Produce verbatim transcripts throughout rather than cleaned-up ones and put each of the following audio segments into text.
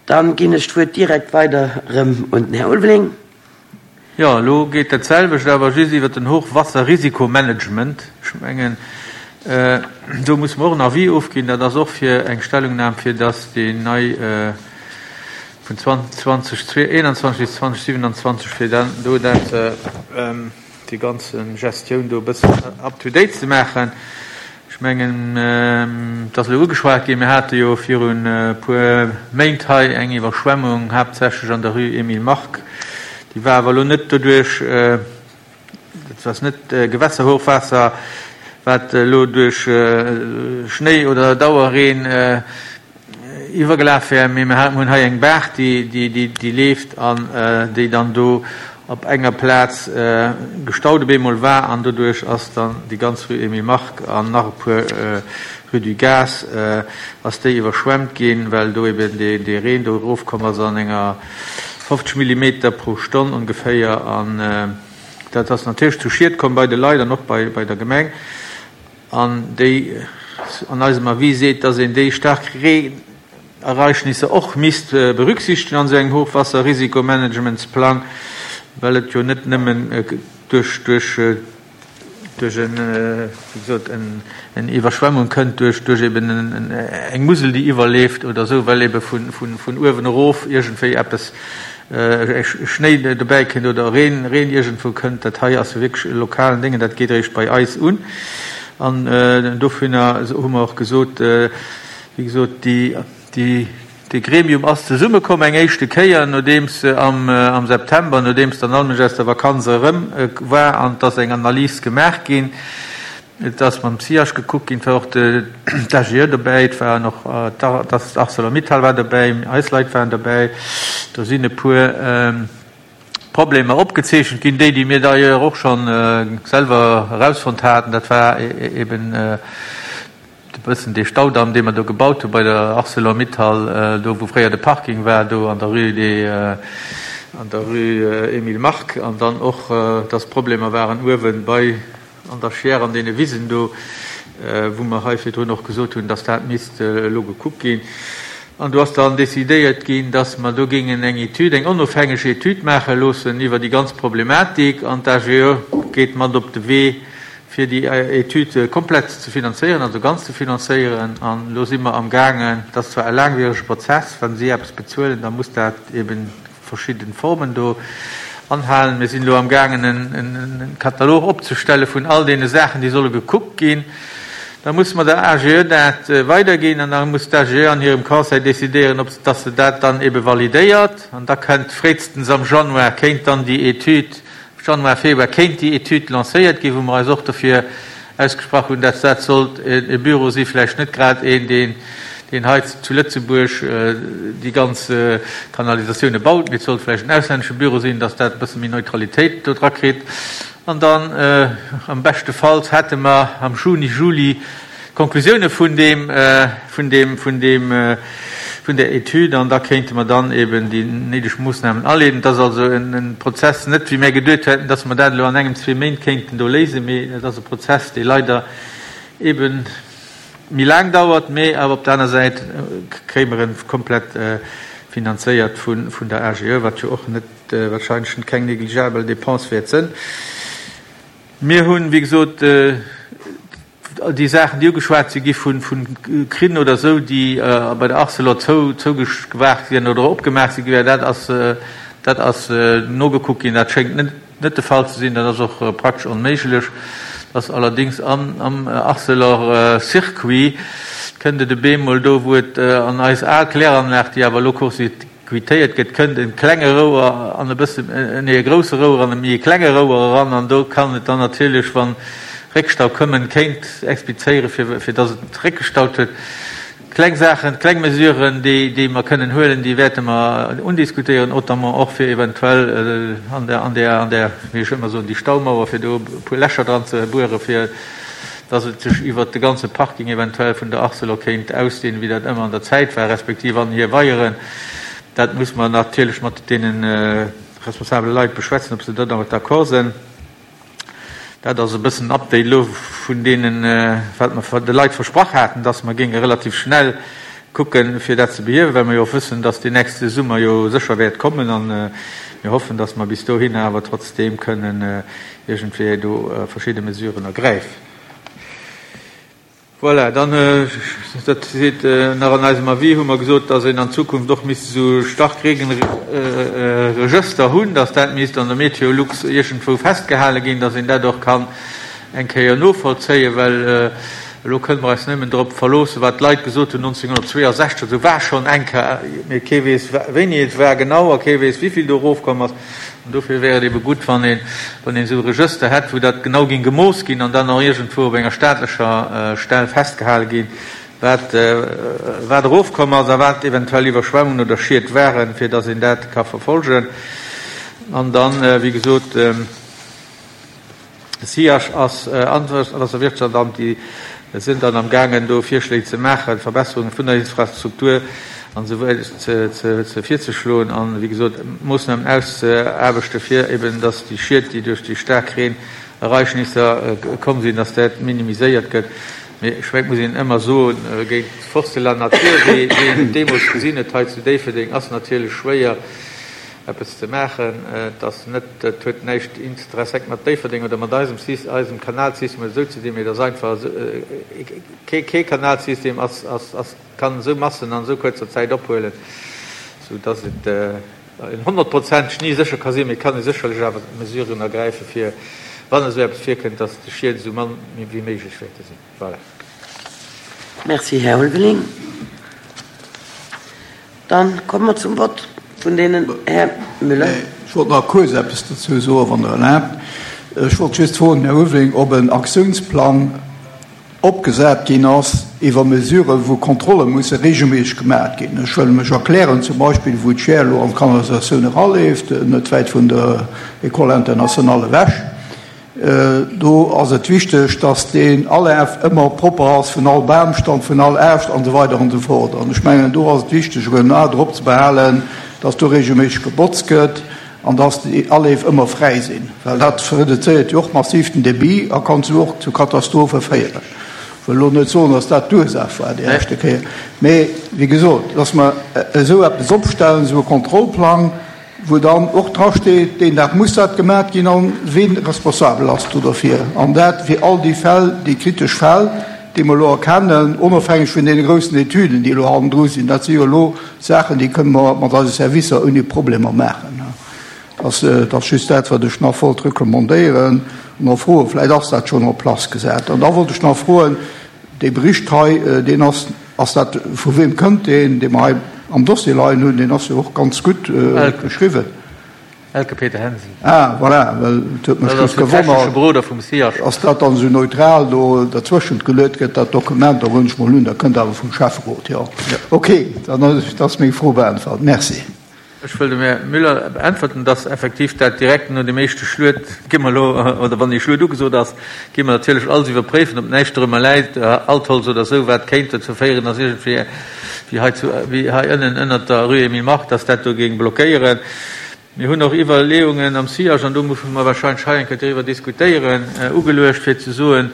Dann ginn ech d'Wuert direkt weider erëm un den Här Ulveling. Jo, elo geet dat selwecht, awer just iwwert den Hochwasserrisikomanagement. Ech mengen, do muss mer och en Avis ofginn. Dat ass och fir eng Stellungnam, fir dass déi nei vun zweedausendeinundzwanzeg bis zweedausendsiwenundzwanzeg, fir dann do dat déi ganz Gestioun do e bëssen up to date ze maachen. Ech mengen, et ass elo ugeschwat ginn, mir hate jo virun e puer Méint hei eng Iwwerschwemmung, haaptsächlech an der Rue Emile Mark. Déi war awer elo net doduerch, dat ass net Gewässerhochwaasser, wat elo duerch Schnéi oder Dauerreen iwwergelaf wär, mee mir hunn hei eng Baach, déi, déi, déi leeft an déi dann do op enger Plaz gestaut op eemol war an doduerch ass dann déi ganz Rue Emile Mark an nach e puer Rue du Gaz ass déi iwwerschwemmt ginn, well do eben dee Reen do erofkomm ass an enger fofzeg Millimeter pro Stonn ongeféier an dat ass natierlech zu Schied komm bei de Leit an och bei bei der Gemeng an déi an eisem Avis seet, dass een déi staark Reenereignisser och misst berücksichtegen an esou engem Hochwasserrisikomanagementsplang, well et jo net nëmmen duerch duerch duerch en wéi gesot en en Iwwerschwemmung kënnt duerch duerch eben en eng Musel déi iwwerleeft oder esou, well ebe vun vun vun uewen erof iergendwéi eppes Schnéi dobäi kënnt oder Reen Reen iergendwou kënnt. Dat hei ass jo wierklech e lokalen Déngen, dat geet eréischt bei eis un. An dovunner hu mer och gesot, wéi gesot, déi déi dee Gremium ass zesummekomm eng éischte Kéier, nodeems am am September, nodeems dann all Mënsch aus der Vakanz erëm war an et ass eng Analys gemaach ginn. Et ass mam C I H gekuckt ginn, et war och d'A G E dobäi, et waren och d'Arcelor-Mittal war dobäi, eis Leit waren dobäi. Do sinn e puer Problemer opgezeechent ginn, déi, déi mir d'ailleurs och scho selwer erausfonnt haten. Dat war eben e bëssen dee Staudamm, dee mer do gebaut hu bei der Arcelor-Mittal, do wou fréier de Parking war, do an der Rue des, an der Rue Emile Mark, an dann och, dass Problemer waren uewe bei an der Chiers an deene Wisen do, wou mer hei virdrun och gesot hunn, dass dat misst elo gekuckt ginn. An do ass dann decidéiert ginn, dass mer do géingen eng Etüd, eng onofhängeg Etüd maache loossen iwwer déi ganz Problematik. An d'A G E geet mat op de Wee, fir déi Etüd komplett ze finanzéieren, also ganz ze finanzéieren. An elo si mer amgaangen, dat ass zwar e laangwierege Prozess, wa si eppes bezuelen, da muss dat eben verschidde Formen do anhalen. Mir sinn elo amgaangen, en Katalog opzestelle vun all deene Saachen, déi solle gekuckt ginn. Da muss mer der A G E dat weiderginn an da muss d'A G E an hirem Conseil decidéieren, ob dass se dat dann ebe validéiert. An da kënnt fréistens am Januar, kéint dann déi Etüd, Januar, Februar, kéint déi Etüd lancéiert ginn, wou mer eis och dofir ausgesprach hunn, dass dat sollt e Büro si vläicht net grad een, deen deen hei zu Lëtzebuerg déi ganz Kanalisatioune baut, mee et sollt vläicht en auslännesche Büro sinn, dass dat e bësse méi Neutralitéit do dra kritt. An dann am beschte Falls hätte mer am Juni, Juli d'Konklusioune vun deem, vun deem, vun deem, vun der Etüd an da kéinte mer dann eben déi néideg Moossnamen aleeden. Et ass also e Prozess, net wéi mär geduet hätten, dass mer dat elo an engem, zwee Méint kéinten do léisen, mee et ass e Prozess, dee leider eben méi laang dauert, mee awer op der aner Säit kréie mer e komplett finanzéiert vun der A G E, wat jo och net wahrscheinlech keng negligeabel Dépense wäert sënn. Mir hunn, wéi gesot, déi Saachen, déi ugeschwat si gi vu Krinn oder esou, déi bei der Arcelor zougewaacht ginn oder opgemaach si gi, dat ass, dat ass nogekuckt ginn. Dat schéngt net net de Fall ze sinn. Dat ass och praktesch onméiglech. Dass allerdings am Arcelor-Circuit kënnt et e bemol do, wou et an eis al Kläranlag, déi awer elo court-circuitéiert gëtt, kënnt e klenge Rouer an e bësse, nee, e grousse Rouer an e méi e klenge Rouer eran. An do kann et dann natierlech, wann Réckstau kommen, kéint explizéieren, fir, fir dass et réckgestaut huet. Kleng Saachen, kleng Mesuren, déi, déi mer kënnen huelen, déi wäerte mer undiskutéieren, notamment och fir eventuell an der, an der, an der, wéi ech ëmmer soen, déi Staumauer, fir do e puer Lächer dran ze buere, fir dass et sech iwwert de ganze Parking eventuell vun der Arcelor kéint ausdehnen, wéi dat ëmmer an der Zäit war, respektiv an hir Weieren. Dat muss mer natierlech mat deene responsabele Leit beschwätzen, ob se do dermat d'accord sinn. Dat ass e bëssen en Update elo vun deenen, wat mer de Leit versprach haten, dass mer géinge relativ schnell kucken, fir dat ze behiewen, well mer jo och wëssen, dass deen nächste Summer jo sécher wäert kommen an mir hoffen, dass mer bis dohinner awer trotzdeem kënnen iergendwéi do verschidde Mesuren ergräifen. Voilà, dann, dat seet nach an eisem Avis, hu mer gesot, dass een an Zukunft och misst esou Starkregenregëster hunn, dass dat misst an der Meteolux iergendwou festgehale ginn, dass een dat och kann eng Kéier novollzéien, well elo kënne mer eis nëmmen drop verloossen, wat d'Leit gesot hunn nonzénghunnertzweeasechzeg, esou war schonn eng Kéier, mee kee weess, wéini et war genau a kee weess, wéi vill do erofkomm ass. An dofir wär et ebe gutt, wann een, wann een esou e Regëster hätt, wou dat genau géing gemooss ginn an dann och iergendwou op enger staatlecher Stell festgehale ginn, wat, wat erofkomm ass a wat eventuell Iwwerschwemmungen oder Schied waren, fir dass een dat ka verfolgen. An dann, wéi gesot, de SIAG ass an d'Wasserwirtschaftsamt, déi sinn dann amgaangen, do Virschléi ze maachen, Verbesserunge vun der Infrastruktur an esou weider ze, ze, ze virzeschloen an, wéi gesot, Moossnamen auszeaarbechten, fir eben, dass déi Schied, déi duerch déi staark Reenereignisser komm sinn, dass dat minimiséiert gëtt. Mee ech mengen, et muss een ëmmer soen, géint d'Force de la nature, wéi, wéi een et deemools gesinn huet hei zu Déifferdeng, ass natierlech schwéier, eppes ze maachen. Et ass net, et huet näischt intrinsèque mat Déifferdeng oder mat eisem Sys-, eisem Kanalsystem oder esou ze dinn, mee et ass einfach esou, kee, kee Kanalsystem ass, ass, ass, kann esou Massen an esou kuerzer Zäit ophuelen, sou dass et en honnertprozenteg ni sécher ka sinn, mee et kann ee sécherlech awer Mesuren ergräifen, fir, wann esou eppes virkënnt, dass de Schied esou mann wéi méiglech wäerte sinn. Voilà. Merci, Här Ulveling. Dann komme mer zum Vott vun deenen. Här Müller. Ech wollt nach kuerz eppes dozou soen, wann Der erlaabt. Ech wollt just froen, Här Ulveling, ob en Aktiounsplang opgesat ginn ass iwwer Mesuren, wou Kontrolle musse regelméisseg gemaach ginn. Ech wëll mech erklären, zum Beispill wou d'Schär elo an d'Kanalisatioun eraleeft, net wäit vun der École internationale ewech, do ass et wichteg, dass deen Alaf ëmmer propper ass vun all Bamstamm, vun all Aascht an esou weider an esou fort. An ech mengen, do ass et wichteg, en A drop ze behalen, dass do regelméisseg gebotzt gëtt an dass déi Aleef ëmmer fräi sinn, well dat reduzéiert jo och massiv den Débit a kann esou och zu Katastrophe féieren. Ech wëll elo net soen, dass dat d'Ursaach war déi leschte Kéier, mee wéi gesot, dass mer esou eppes opstellen, esou e Kontrollplang, wou dann och drasteet, deen Dag muss dat gemaat ginn an ween responsabel ass do derfir, an dat fir all déi Fäll, déi kritesch Fäll, déi mer elo erkennen, onofhängeg vun deene groussen Etüden, déi elo hannendru sinn. Dat si jo elo Saachen, déi kënne mer mat eise Servicer ouni Problemer maachen. Dat ass just dat, wat ech nach wollt recommandéieren an och froen. Vläicht ass dat schonn en place gesat. An da wollt ech nach froen, dee Bericht hei, deen ass, ass dat, vu weem kënnt deen, dee mer hei am Dossier leien hunn? Deen ass jo och ganz gutt geschriwwen. Elke Peter Hensen. Ah, voilà, well et huet mech just gewonnert, ass dat dann esou neutral do derzwëschent geluet gëtt, dat Dokument? Da wënsch ech mol un, dat kënnt awer vum Schäfferot, jo. Okay, dann ass meng Fro beäntwert. Merci. Ech wëll dem Här Müller beäntwerten, dass effektiv dat direkt no dem éischte Schluet, gi mer elo, oder wann dee Schluet ugesot ass, gi mer natierlech alles iwwerpréifen, ob näischt dorëmmer läit, Altholz oder esou, wat kéint dozou féieren, dass iergendwéi, wéi hei zu, wéi hei ënnen ënnert der Rue Emile Mark, dass dat do géing blockéieren. Mir hunn och Iwwerleeungen am SIAG, an do musse mer wahrscheinlech hei eng Kéier driwwer diskutéieren, ugeluecht, fir ze soen,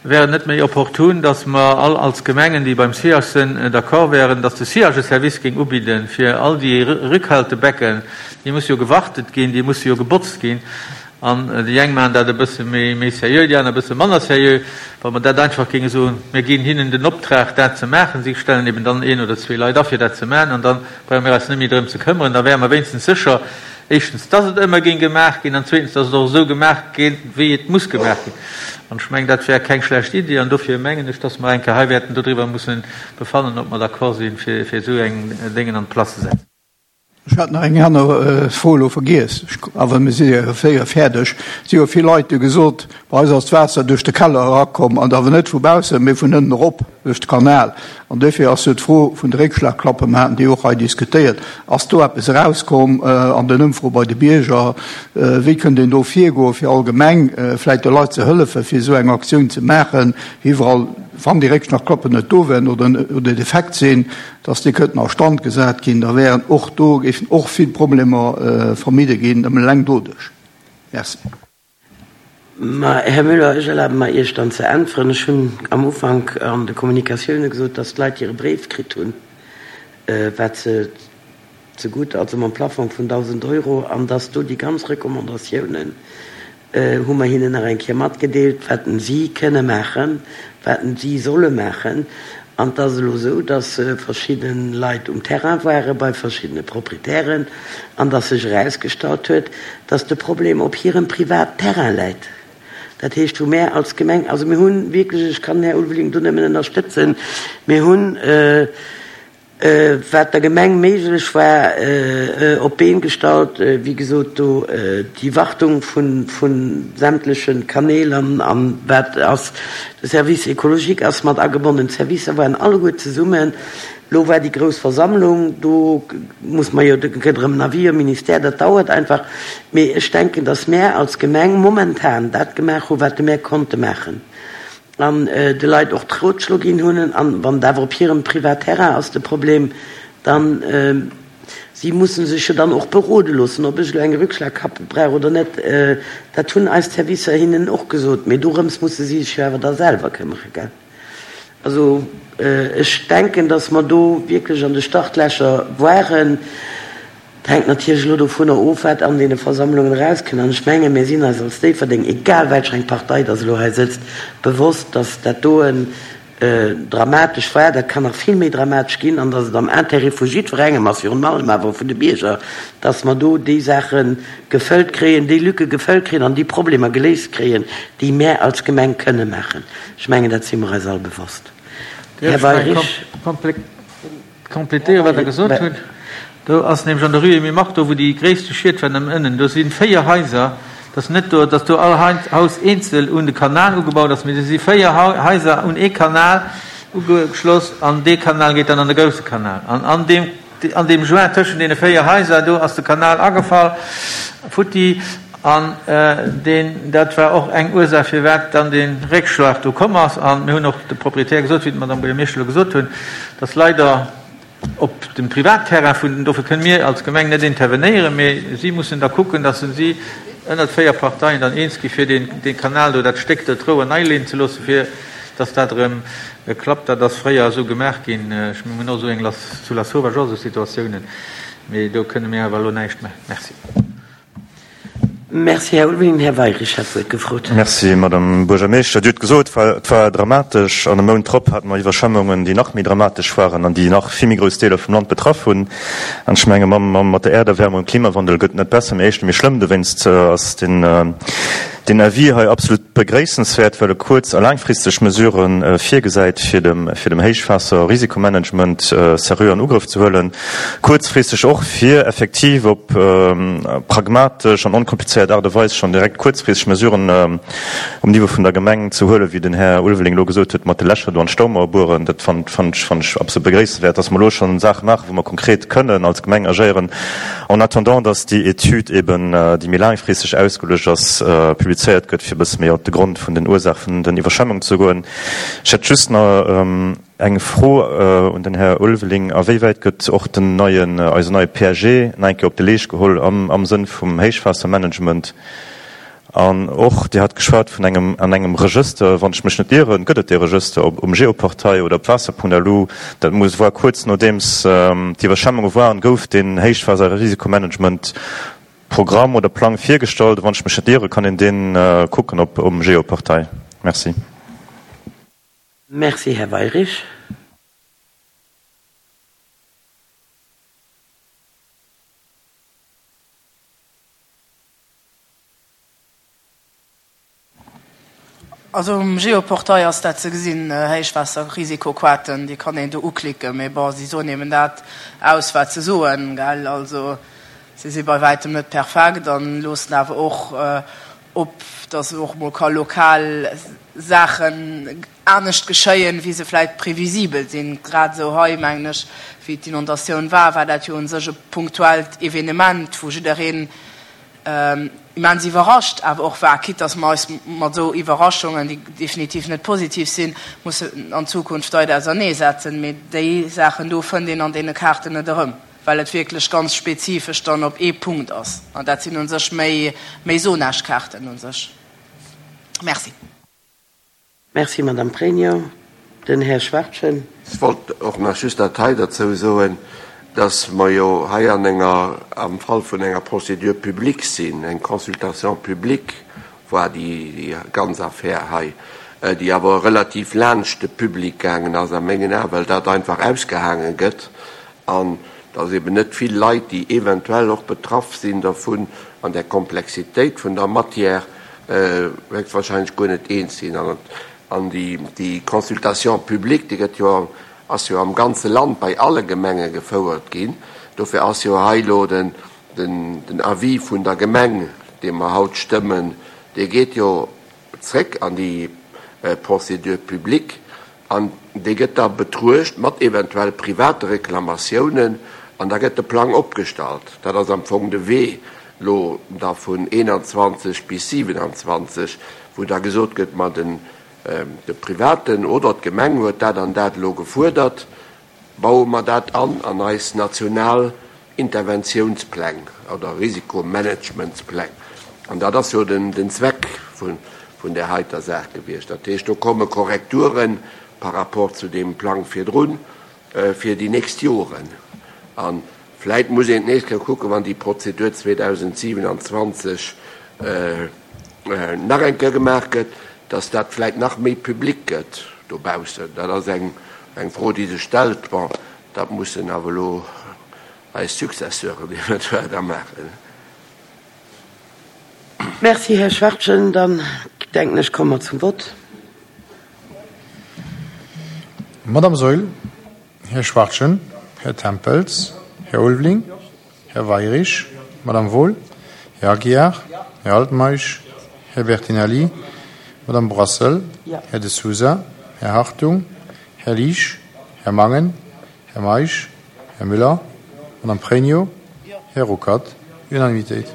Wär et net méi opportun, dass mer all als Gemengen, déi beim SIAG sinn, d'accord wären, dass de SIAG e Service géing ubidden, fir all déi Rückhaltebecken, déi musse jo gewartet ginn, déi musse jo gebotzt ginn, an déi eng maachen dat e bësse méi seriö, déi aner e bësse manner seriö, wa mer dat einfach géinge soen, mir ginn hinnen den Optrag, dat ze maachen, si stellen eben dann een oder zwee Leit a fir dat ze maachen, an da brauche mir eis net méi drëm ze këmmeren, da wäre mer wéinstens sécher, éischtens, dass et ëmmer géing gemaach ginn, an zweetens, dass et och esou gemaach gétt, wéi et muss gemaach ginn. An ech mengen, dat wär keng schlecht Iddi, an dofir mengen ech, dass mer eng Kéier hei wäerten dodriwwer mussen befannen, ob mer d'accord sinn, fir esou eng Déngen an d'Place ze setzen. Ech hat nach eng aner Fro elo vergiess, awer mir si jo séier fäerdeg. Et si jo vill Leit, déi hu gesot, bei eis ass d'Waasser duerch de Keller erakomm, an awer net vu baussen, mee vun ënnen erop duerch de Kanal. An duerfir ass jo d'Fro vun de Réckschlagklappen, mer haten déi och hei diskutéiert, ass do eppes erauskomm an den Ëmfroe bei de Bierger? Wéi kënnt een do virgoen, fir allgemeng vläicht de Leit ze hëllefen, fir esou eng Aktioun ze maachen, iwwerall, wann déi Réckschlagklappen net do wären oder defekt sinn, dass déi kënnten a Stand gesat ginn, da wären och do, géifen och vill Problemer vermidde ginn, nëmmen eleng doduerch. Merci. Ma, Här Müller, ech erlabe mer, Iech dann ze äntweren. Ech hunn am Ufank an de Kommunikatioune gesot, dass d'Leit hire Bréif kritt hunn. wat se zegutt, also mam Plafong vun dausend Euro, an dass do déi ganz Recommandatiounen hu mer hinnen nach eng Kéier matgedeelt, wat si kënne maachen, wat si solle maachen. An et ass elo esou, dass verschidde Leit um Terrain ware bei verschiddene Proprietären an dass sech erausgestallt huet, dass de Problem op hirem Privatterrain läit. Dat heescht, wou mär als Gemeng, also mir hunn wierklech, ech kann den Här Ulveling do nëmmen ënnerstëtzen, mir hunn, wat der Gemeng méiglech war, op d'Been gestallt, wéi gesot, do déi Wartung vu sämtleche Kanäl an wat ass, de Service écologique ass mat agebonnen, d'Servicer waren alleguer zesummen. Elo war déi grouss Versammlung, do muss mer jo, do gëtt erëm en Avis am Ministère, dat dauert einfach. Mee ech denken, datt mär als Gemeng momentan dat gemaach hu wat mär konnte maachen an de Leit och d'Rotschlo ginn hunn. An wann et awer op hirem Privatterrain ass de Problem, dann, si musse sech jo dann och berode loossen, ob ech elo eng Rückschlagkappe brauch oder net. Dat hunn eis Servicer hinnen och gesot. Mee dorëms musse si sech jo awer da selwer këmmere, gell? Also ech denken, datt mer do wierklech an de Startlächer waren. Et hänkt natierlech elo dovunner of, wat an deene Versammlungen erauskënnt. An ech mengen, mir sinn eis als Déifferdeng, egal welch eng Partei dass elo hei sëtzt, bewosst, dass dat doen dramatesch war. Dat kann nach vill méi dramatesch ginn an dass et am Intérêt vu jiddwerengem ass, virun allem awer vun de Bierger, dass mer do déi Saache gefëllt kréien, déi Lücke gefëllt kréien an déi Problemer geléist kréien, déi mär als Gemeng kënne maachen. Ech mengen, dat si mer eis all bewosst. Här Weyrich. Complétéieren, wat Der gesot hutt. Do ass nämlech an der Rue Emile Mark, do wou déi gréisste Schied waren am ënnen, do si véier Haiser, et ass net do, datt do all Haus eenzel un de Kanal ugebaut ass, mee do si véier Haiser un ee Kanal ugeschloss an dee Kanal geet dann an de grousse Kanal. An an deem, an deem Joint tëschent deene véier Haiser, do ass de Kanal agefall, futti. An deen, dat war och eng Ursaach, firwat dann dee Réckschlag do komm ass. A mir hunn och de Proprietär gesot, wéi d'Madame Buergermeeschter elo gesot hunn, dass leider op dem Privatterrain vun den, dofir kënne mir als Gemeng net intervenéieren, mee si mussen da kucken, dass si ënnert véier Parteien dann eens gi fir deen, dee Kanal do, dat Stéck do, d'Rouer nei leeën ze loossen, fir dass dat erëm klappt. Dat ass fréier esou gemaach ginn. Ech, mir hunn och esou eng zu Lasauvage och esou Situatiounen, mee do kënne mir awer elo näischt maachen. Merci. Merci, Här Ulveling. Här Weyrich hat d'Wuert gefrot. Merci, Madame Buergermeeschter. Dir hutt gesot, et war dramatesch. An e Mount drop hate mer Iwwerschwemmungen, déi nach méi dramatesch waren an déi nach vill méi grouss Deeler vum Land betraff hunn. An ech menge mat der Äerderwärmung, Klimawandel gëtt et net besser, mee éischter méi schlëmm. Dowéinst ass deen Deen Avis hei absolut begréissenswäert, well e kuerz a laangfristeg Mesurë virgesäit, fir dem fir dem Héichwaasserrisikomanagement seriö an Ugrëff ze huelen, kuerzfristeg och, fir effektiv op pragmatesch an onkomplizéiert Aart a Weis schonn direkt kuerzfristeg Mesuren um Niveau vun der Gemeng ze huelen, wéi den Här Ulveling elo gesot huet, mat de Lächer do an d'Staumauer bueren. Dat fannen ech fannen ech absolut begréissenswäert, dass mer elo schonn Saache maachen, wou mer konkret kënnen als Gemeng agéieren, en attendant dass déi Etüd eben, déi méi laangfristeg ausgeluecht ass, publizéiert gëtt, fir e bësse méi op de Grond vun den Ursaach vun den Iwwerschwemmungen ze goen. Ech hätt just nach eng Fro un den Här Ulveling, A wéi wäit gëtt och den neien, eisen neie P A G nach eng Kéier op de Leescht geholl am am Sënn vum Héichwaassermanagement? An och, Dir hat geschwat vun engem an engem Regëster, wann ech mech net ieren, gëtt et dee Regëster op um Geoportail oder op waasser Punkt L U. Dat muss war kuerz nodeems d'Iwwerschwemmunge waren, gouf deen Héichwaasserrisikomanagement Programm oder Plang virgestallt. Wann ech mech net ieren, kann een deen kucken op um Geoportail. Merci. Merci, Här Weyrich. Also um Geoportail ass dat ze gesinn, Héichwaasserrisikokaarten, déi kann een do uklicken, mee bon, si soen eben dat aus, wat se soen, gell. Also si si bei wäitem net perfekt an loossen awer och op, datt och mol ka lokal Saachen anescht geschéien, wéi se vläicht previsibel sinn. Grad esou hei, mengen ech, wéi d'Inondatioun war, war dat jo u sech e punktuellt Evenement, wou jiddereen immens iwwerrascht awer och war, quitte dass mer eis mat esou Iwwerraschungen, déi definitiv net positiv sinn, mussen an Zukunft weider auserneesetzen. Mee déi Saachen do fënnt een an deene Kaarten net erëm, well et wierklech ganz spezifesch dann op ee Punkt ass. An dat sinn u sech méi, méi Zonagekaarten u sech. Merci. Merci, Madame Pregno. Den Här Schwachtgen. Ech wollt och nach just dat hei derzou soen, dass mer jo hei an enger, am Fall vun enger Procédure publique sinn, eng Consultation publique war déi ganz Affär hei, déi awer relativ laanscht de Public gaangen ass a mengen Aen, well dat einfach ausgehaange gëtt an dass eben net vill Leit, déi eventuell och betraff sinn dervun, an der Komplexitéit vun der Matière héchstwahrscheinlech guer net eens sinn. An déi Consultation publique, déi gëtt jo, ass jo am ganze Land bei alle Gemenge gefouert ginn. Dofir ass jo hei elo den Avis vun der Gemeng, dee mer haut stëmmen, dee geet jo zréck an déi Procédure publique an dee gëtt da betruecht mat eventuell private Reklamatiounen an da gëtt de Plang opgestallt. Dat ass am Fong de Wee elo da vun eenanzwanzeg bis siwenanzwanzeg, wou da gesot gëtt, ma den de Privaten oder d'Gemeng huet dat an dat elo gefuerdert, baue mer dat an an eis national Interventiounspläng oder Risikomanagementspläng. An dat ass jo den Zweck vun där heiter Saach gewiescht. Dat heescht, do komme Korrekture par rapport zu deem Plang virdrun fir déi nächst Joren. A vläit muss een d'nächst Kéier kucken, wann déi Prozedur zweedausendsiewenanzwanzeg nach eng Kéier gemaach gëtt, dass dat vläit nach méi public gëtt dobaussen. Dat ass eng Fro, déi sech stellt. Bon, dat mussen awer elo eis Successeuren eventuell da maachen. Merci, Här Schwachtgen. Dann, denken ech, komme mer zum Vott. Madame Saeul, Här Schwachtgen, Här Tempels, Här Ulveling, Här Weirich, Madame Wohl, Här Aguiar, Här Altmeisch, Här Bertinelli, Madame Brassel, Här De Sousa, Här Hartung, Här Liesch, Här Mangen, Här Meisch, Här Müller, Madame Pregno, Här Ruckert. Unanimitéit.